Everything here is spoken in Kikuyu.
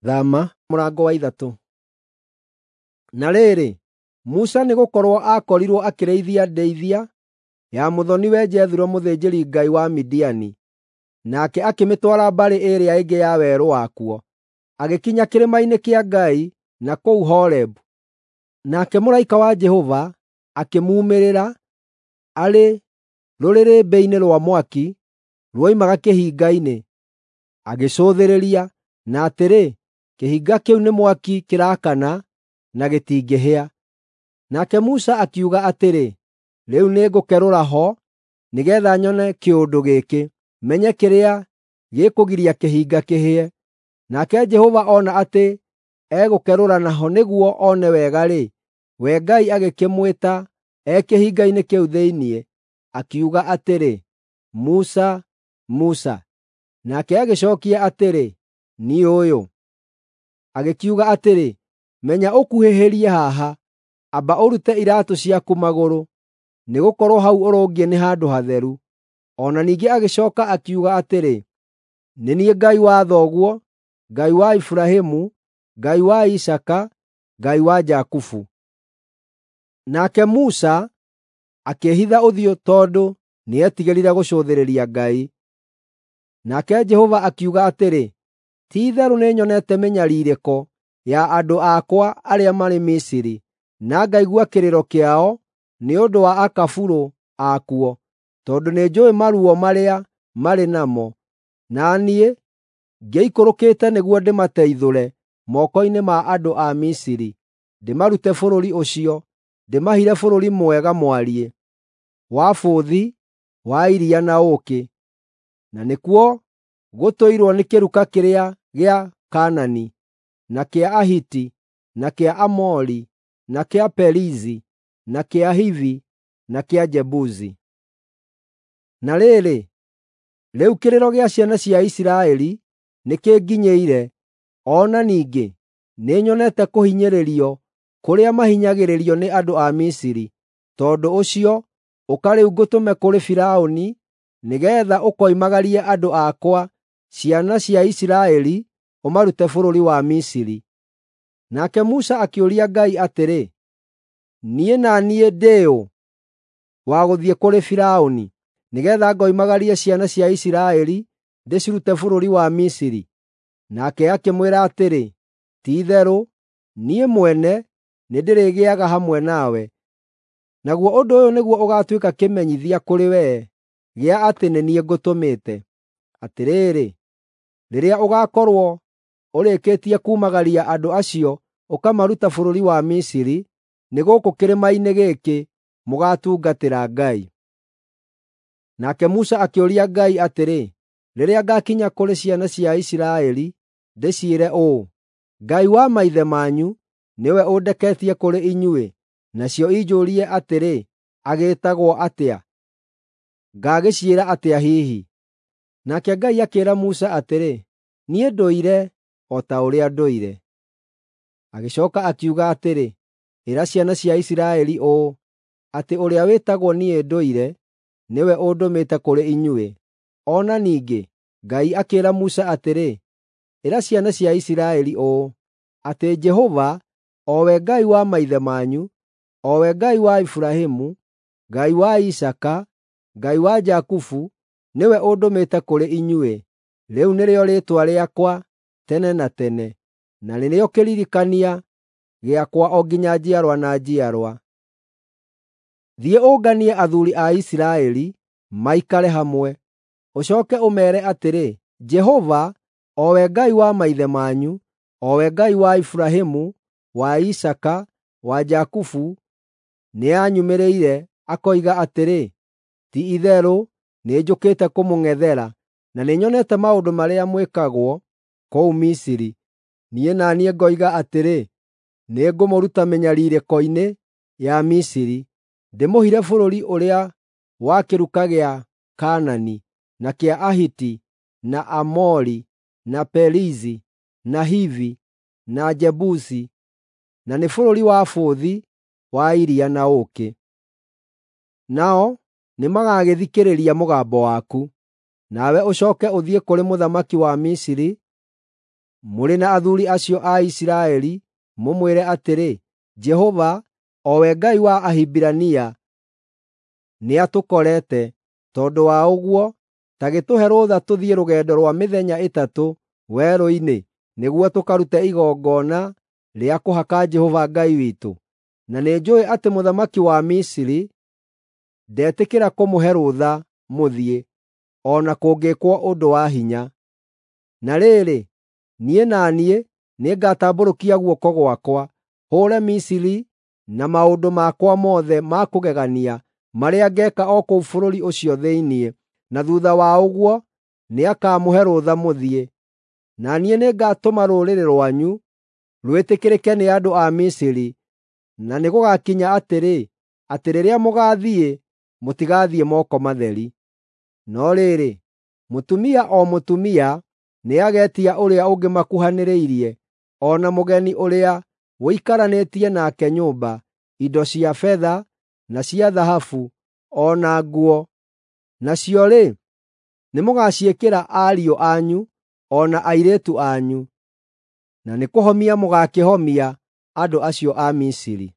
Thama mũrango wa 3. Na rĩrĩ, Musa nĩgũkorwo aakorirwo akĩrĩithia ndĩithia ya mũthoni-we Jethuro mũthĩnjĩri-Ngai wa Midiani, nake akĩmĩtwara mbarĩ ĩrĩa ĩngĩ ya werũ wakuo, agĩkinya kĩrĩma-inĩ kĩa Ngai na kũu Horebu. Nake mũraika wa Jehova akĩmuumĩrĩra arĩ rũrĩrĩmbĩ-inĩ rwa mwaki ruoimaga kĩhinga-inĩ. Agĩcũthĩrĩria, na atĩrĩ, kĩhinga kĩu nĩ mwaki kĩraakana na gĩtingĩhĩa. Nake Musa akiuga atĩrĩ, “Rĩu nĩngũkerũra ho nĩgeetha nyone kĩũndũ gĩkĩ, menye kĩrĩa gĩkũgiria kĩhinga kĩhĩe.” Nake Jehova ona atĩ egũkerũra naho nĩguo one wega-rĩ, we Ngai agĩkĩmwĩta e kĩhinga-inĩ kĩu thĩinĩ, akiuga atĩrĩ, “Musa, Musa.” Nake agĩcookia atĩrĩ, “Niĩ ũyũ.” Agĩkiuga atĩrĩ, “Menya ũkuhĩhĩrie haha. Amba ũrute iraatũ ciaku magũrũ, nĩgũkorwo hau ũrũngiĩ nĩ handũ hatheru.” O na ningĩ agĩcooka akiuga atĩrĩ, “Nĩ niĩ Ngai wa thoguo, Ngai wa Iburahĩmu, Ngai wa Isaaka, Ngai wa Jakubu.” Nake Musa akĩĩhitha ũthiũ tondũ nĩetigĩrire gũcũthĩrĩria Ngai. Nake Jehova akiuga atĩrĩ, “Ti-itherũ nĩnyonete mĩnyariirĩko ya andũ akwa arĩa marĩ Misiri, na ngaigua kĩrĩro kĩao nĩ ũndũ wa akaburũ akuo, tondũ nĩnjũũĩ maruo marĩa marĩ namo. Na niĩ ngĩikũrũkĩte nĩguo ndĩmateithũre moko-inĩ ma andũ a Misiri, ndĩmarute bũrũri ũcio, ndĩmahire bũrũri mwega mwariĩ, wa bũthi wa iria na ũũkĩ, na nĩkuo gũtũirwo nĩ kĩruka kĩrĩa gĩa Kaanani, na kĩa Ahiti, na kĩa Amori, na kĩa Perizi, na kĩa Hivi, na kĩa Jebusi. Na rĩrĩ, rĩu kĩrĩro gĩa ciana cia Isiraeli nĩkĩnginyĩire, o na ningĩ nĩnyonete kũhinyĩrĩrio kũrĩa mahinyagĩrĩrio nĩ andũ a Misiri. Tondũ ũcio, ũka rĩu ngũtũme kũrĩ Firaũni nĩgeetha ũkoimagarie andũ akwa, ciana cia Isiraeli, ũmarute bũrũri wa Misiri. Nake Musa akĩũria Ngai atĩrĩ, “Niĩ na niĩ ndĩ ũ wa gũthiĩ kũrĩ Firaũni nĩgeetha ngoimagarie ciana cia Isiraeli ndĩcirute bũrũri wa Misiri?” Nake akĩmwĩra atĩrĩ, “Ti-itherũ niĩ mwene nĩndĩrĩgĩaga hamwe nawe, naguo ũndũ ũyũ nĩguo ũgaatuĩka kĩmenyithia kũrĩ wee gĩa atĩ nĩ niĩ ngũtũmĩte. Atĩrĩrĩ, rĩrĩa ũgaakorwo ũrĩkĩtie kuumagaria andũ acio ũkamaruta bũrũri wa Misiri, nĩ gũkũ kĩrĩma-inĩ gĩkĩ mũgaatungatĩra Ngai.” Nake Musa akĩũria Ngai atĩrĩ, “Rĩrĩa ngaakinya kũrĩ ciana cia Isiraeli ndĩciĩre ũũ, ‘Ngai wa maithe manyu nĩwe ũndeketie kũrĩ inyuĩ,’ nacio injũũrie atĩrĩ, ‘Agĩĩtagwo atĩa?’ Ngaagĩciĩra atĩa hihi?” Nake Ngai akĩĩra Musa atĩrĩ, “Niĩ ndũire o ta ũrĩa ndũire.” Agĩcooka akiuga atĩrĩ, “Ĩra ciana cia Isiraeli ũũ, atĩ ũrĩa wĩtagwo Niĩ Ndũire nĩwe ũndũmĩte kũrĩ inyuĩ.” O na ningĩ Ngai akĩĩra Musa atĩrĩ, “Ĩra ciana cia Isiraeli ũũ, atĩ Jehova, o we Ngai wa maithe manyu, o we Ngai wa Iburahĩmu, Ngai wa Isaaka, Ngai wa Jakubu, nĩwe ũndũmĩte kũrĩ inyuĩ. Rĩu nĩrĩo rĩĩtwa rĩakwa tene na tene, na nĩrĩo kĩririkania gĩakwa o nginya njiarwa na njiarwa. Thiĩ ũnganie athuuri a Isiraeli maikare hamwe, ũcooke ũmeere atĩrĩ, ‘Jehova, o we Ngai wa maithe manyu, o we Ngai wa Iburahĩmu, wa Isaaka, wa Jakubu, nĩanyumĩrĩire akoiga atĩrĩ, Ti-itherũ nĩnjũkĩte kũmũng'ethera, na nĩnyonete maũndũ marĩa mwĩkagwo kũu Misiri. Niĩ na niĩ ngoiga atĩrĩ, nĩngũmũruta mĩnyariirĩko-inĩ ya Misiri, ndĩmũhire bũrũri ũrĩa wa kĩruka gĩa Kaanani, na kĩa Ahiti, na Amori, na Perizi, na Hivi, na Jebusi, na nĩ bũrũri wa bũthi wa iria na ũũkĩ. Nao nĩmagagĩthikĩrĩria mũgambo waku. Nawe ũcooke ũthiĩ kũrĩ mũthamaki wa Misiri, mũrĩ na athuuri acio a Isiraeli, mũmwĩre atĩrĩ, ‘Jehova, o we Ngai wa Ahibirania, nĩatũkorete. Tondũ wa ũguo, ta gĩtũhe rũtha tũthiĩ rũgendo rwa mĩthenya 3 werũ-inĩ nĩguo tũkarute igongona rĩa kũhaka Jehova Ngai witũ.’ Na nĩnjũũĩ atĩ mũthamaki wa Misiri ndetĩkĩra kũmũhe rũtha mũthiĩ, o na kũngĩĩkwo ũndũ wa hinya. Na rĩrĩ, niĩ na niĩ nĩngatambũrũkia guoko gwakwa, hũũre Misiri na maũndũ makwa mothe ma kũgegania marĩa ngeeka o kũu bũrũri ũcio thĩinĩ, na thuutha wa ũguo nĩakamũhe rũtha mũthiĩ. Na niĩ nĩngatũma rũrĩrĩ rwanyu rwĩtĩkĩrĩke nĩ andũ a Misiri, na nĩgũgakinya atĩrĩ, atĩ rĩrĩa mũgaathiĩ, mũtigathiĩ moko matheri. No rĩrĩ, mũtumia o mũtumia nĩagetia ũrĩa ũngĩ makuhanĩrĩirie, o na mũgeni ũrĩa ũikaranĩtie nake nyũmba, indo cia betha na cia thahabu, o na nguo. Nacio-rĩ, nĩmũgaciĩkĩra ariũ anyu o na airĩtu anyu, na nĩkũhomia mũgaakĩhomia andũ acio a Misiri.”